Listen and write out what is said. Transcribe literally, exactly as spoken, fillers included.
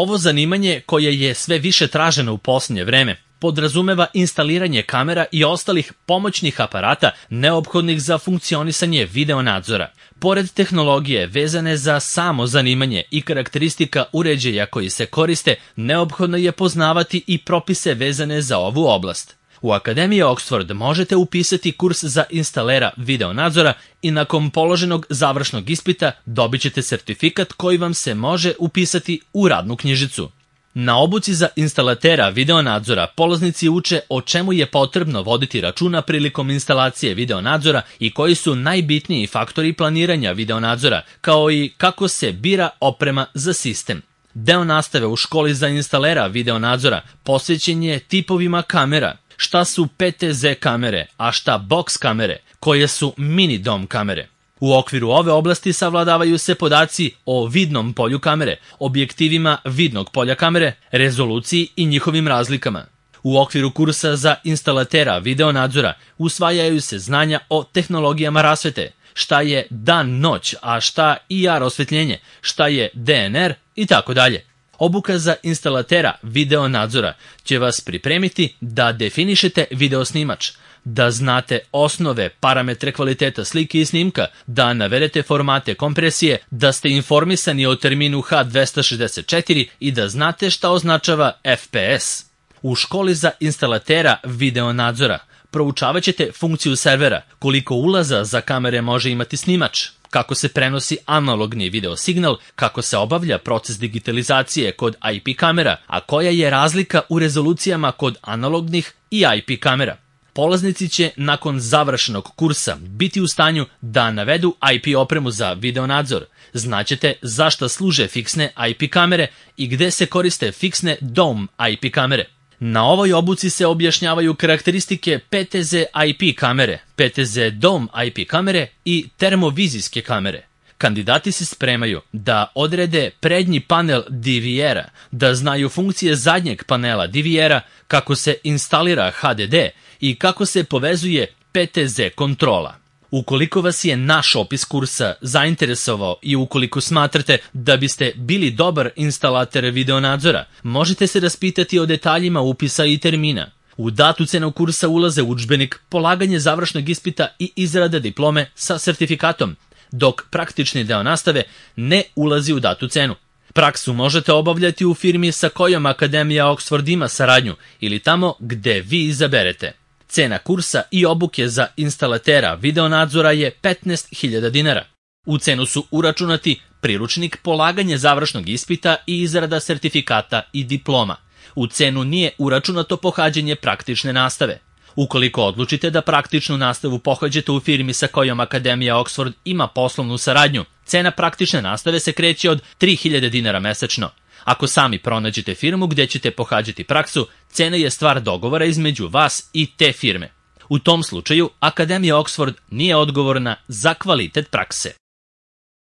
Ovo zanimanje, koje je sve više traženo u posljednje vreme, podrazumeva instaliranje kamera i ostalih pomoćnih aparata neophodnih za funkcionisanje video nadzora. Pored tehnologije vezane za samo zanimanje i karakteristika uređaja koji se koriste, neophodno je poznavati i propise vezane za ovu oblast. U Akademiji Oxford možete upisati kurs za instalera video nadzora i nakon položenog završnog ispita dobit ćete sertifikat koji vam se može upisati u radnu knjižicu. Na obuci za instalatera video nadzora polaznici uče o čemu je potrebno voditi računa prilikom instalacije video nadzora i koji su najbitniji faktori planiranja video nadzora, kao i kako se bira oprema za sistem. Deo nastave u školi za instalera video nadzora posvećen je tipovima kamera, šta su P T Z kamere, a šta box kamere, koje su mini dom kamere. U okviru ove oblasti savladavaju se podaci o vidnom polju kamere, objektivima vidnog polja kamere, rezoluciji i njihovim razlikama. U okviru kursa za instalatera video nadzora usvajaju se znanja o tehnologijama rasvete, šta je dan-noć, a šta I R osvetljenje, šta je D N R i tako dalje. Obuka za instalatera video nadzora će vas pripremiti da definišete video snimač, da znate osnove parametre kvaliteta slike i snimka, da navedete formate kompresije, da ste informisani o terminu H dvesta šezdeset četiri i da znate šta označava F P S. U školi za instalatera video nadzora proučavat ćete funkciju servera, koliko ulaza za kamere može imati snimač, kako se prenosi analogni video signal, kako se obavlja proces digitalizacije kod I P kamera, a koja je razlika u rezolucijama kod analognih i I P kamera. Polaznici će nakon završenog kursa biti u stanju da navedu I P opremu za video nadzor. Znaćete zašto služe fiksne I P kamere i gde se koriste fiksne dome I P kamere. Na ovoj obuci se objašnjavaju karakteristike P T Z I P kamere, P T Z dome I P kamere i termovizijske kamere. Kandidati se spremaju da odrede prednji panel D V R-a, da znaju funkcije zadnjeg panela D V R-a, kako se instalira H D D i kako se povezuje P T Z kontrola. Ukoliko vas je naš opis kursa zainteresovao i ukoliko smatrate da biste bili dobar instalater video nadzora, možete se raspitati o detaljima upisa i termina. U datu cenu kursa ulaze udžbenik, polaganje završnog ispita i izrada diplome sa sertifikatom, dok praktični deo nastave ne ulazi u datu cenu. Praksu možete obavljati u firmi sa kojom Akademija Oxford ima saradnju ili tamo gde vi izaberete. Cena kursa i obuke za instalatera video nadzora je petnaest hiljada dinara. U cenu su uračunati priručnik, polaganje završnog ispita i izrada sertifikata i diploma. U cenu nije uračunato pohađanje praktične nastave. Ukoliko odlučite da praktičnu nastavu pohađate u firmi sa kojom Akademija Oxford ima poslovnu saradnju, cena praktične nastave se kreće od tri hiljade dinara mesečno. Ako sami pronađete firmu gdje ćete pohađati praksu, cena je stvar dogovora između vas i te firme. U tom slučaju, Akademija Oxford nije odgovorna za kvalitet prakse.